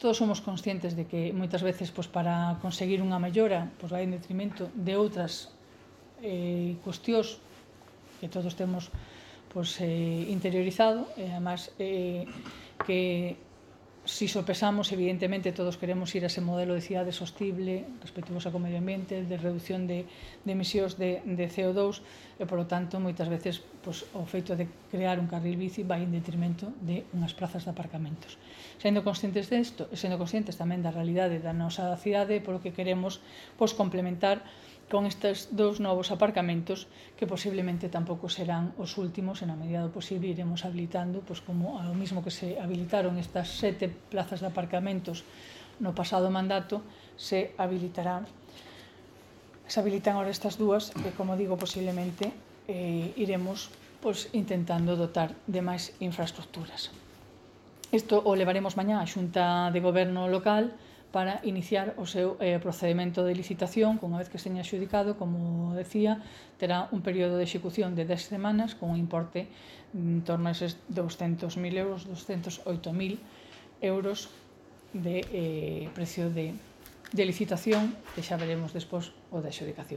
todos somos conscientes de que moitas veces para conseguir unha mellora vai en detrimento de outras cuestións que todos temos interiorizado, e además que si sopesamos, evidentemente todos queremos ir a ese modelo de cidade sostible, respetuosa co medio ambiente, de reducción de emisións de CO2, e, polo tanto, moitas veces o feito de crear un carril bici vai en detrimento de unhas plazas de aparcamentos. Sendo conscientes disto, e sendo conscientes tamén da realidade da nosa cidade, polo que queremos complementar con estes 2 novos aparcamentos que posiblemente tampouco serán os últimos, e na medida do posible iremos habilitando, como ao mismo que se habilitaron estas 7 plazas de aparcamentos no pasado mandato, se habilitan ahora estas 2, e, como digo, posiblemente iremos intentando dotar de máis infraestructuras. Isto o levaremos mañá á Xunta de Goberno local para iniciar o seu procedimento de licitación. Unha vez que se teña adxudicado, como decía, terá un período de execución de 10 semanas con un importe en torno a eses 200.000 euros, 208.000 euros de precio de licitación, que xa veremos despois o de adxudicación.